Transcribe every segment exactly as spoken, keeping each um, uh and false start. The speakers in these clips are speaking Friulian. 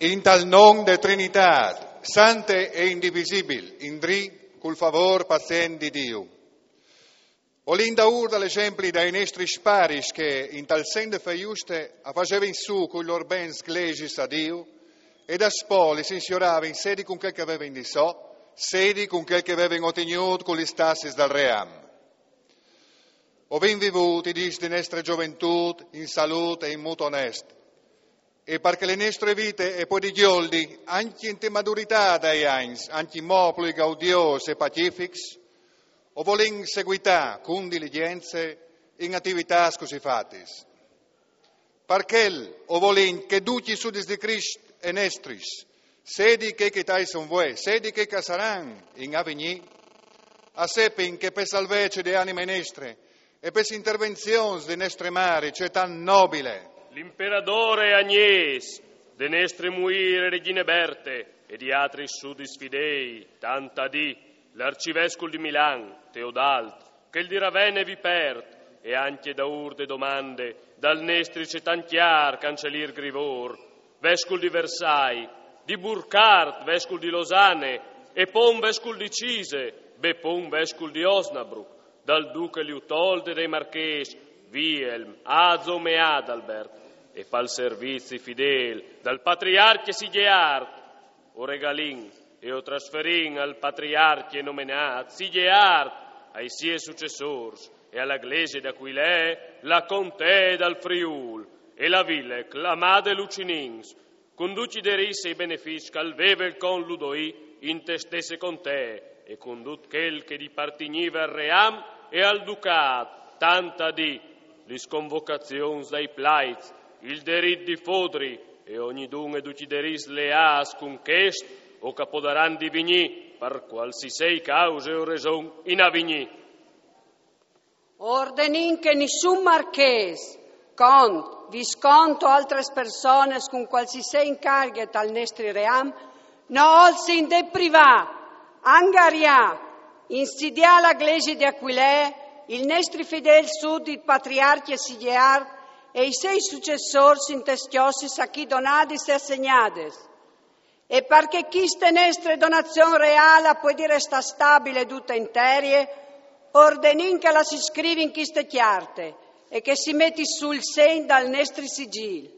In tal non de Trinitât, sante e indivisibil, indrì cul favôr pazient di Diu. Volìn daûr dal esempli dai nestris paris che in tal sen de fé juste a fasevin sù cui lôr bens glesis a Diu, e daspò lis insioravin sedi cun chel che a vevin di sò, sedi cun chel che a vevin otignût cu lis tassis dal ream. O vin vivût i dîs de nestre zoventût in salût e in mût onest. E par che le nestre vite e puedi gjoldi ancje inte maduritât dai agns, ancjemò plui gaudiôs e pacifics, o volìn seguitâ cun diligjence in ativitâts cussì fatis. Par chel o volìn che ducj i sudits di Crist e nestris, sedi chei che a son vuê, sedi chei che a saran in avignî, a sepin che pe salvece de anime nestre e pes intervenzions de nestre mari cetant nobile, l'imperadôr Agnês, de nestre muîr regjine Berte e di altris sudits fidei, tant a dî l'arcivescul di Milan Teodalt, chel di Ravene Vipert, e ancje daûr de domande dal nestri cetant cjâr cancelîr Grivôr, vescul di Versai, di Burcart, vescul di Losane, e pon vescul di Cise, be pon vescul di Osnabruc, dal duche Liutold e dai marchês Wilhelm, Azom e Adalbert, e pal servizi fidêl dal patriarcje Sigeart, o regalìn e o trasferìn al patriarcje nomenât Sigeart, ai siei sucessôrs e a la Glesie di Aquilee la contee dal Friûl e la vile clamade Lucinins, cun ducj i derits e i benefiçs che al veve il cont Ludoî inte stesse contee e cun dut chel che i partignive al ream e al ducât, tant a dî lis convocazions dai plaits, il derit di fodri e ognidun e ducj i derits leâts cun chest o che a podaran divignî par cualsisei cause o reson in avignî. Ordenìn che nissun marchês, cont, viscont o altris personis cun cualsisei incarghi tal nestri ream no olsin deprivâ, angariâ, insidiâ la Glesie di Aquilee, il nestri fidêl sudit patriarcje Sigeart e i siei sucessôrs intes cjossis a chi donadis e assegnadis. E par che chiste nestre donazion reâl a puedi restâ stabile dute interie, ordenìn che la si scrivi in chiste cjarte e che si meti sù il segn dal nestri sigîl,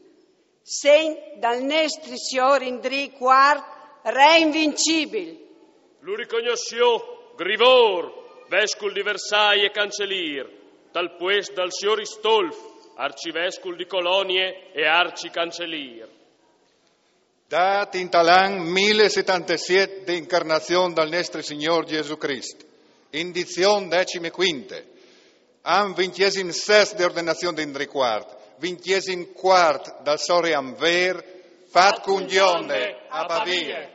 segn dal nestri siôr Indrì cuart, re invincibil. Lu ricognossiò Grivôr, vescul di Versai e cancelîr, tal puest dal siôr Istolf, arcivescul di Colonie e arcicancelîr. Dât in tal an mil e setantesiet de incarnazion dal nestri Signôr Jesù Crist, in dizion decime cuinte, an vincjesim sest de ordenazion di Indrì cuart, vincjesim cuart dal so ream vêr, fat cun gjonde a Pavie.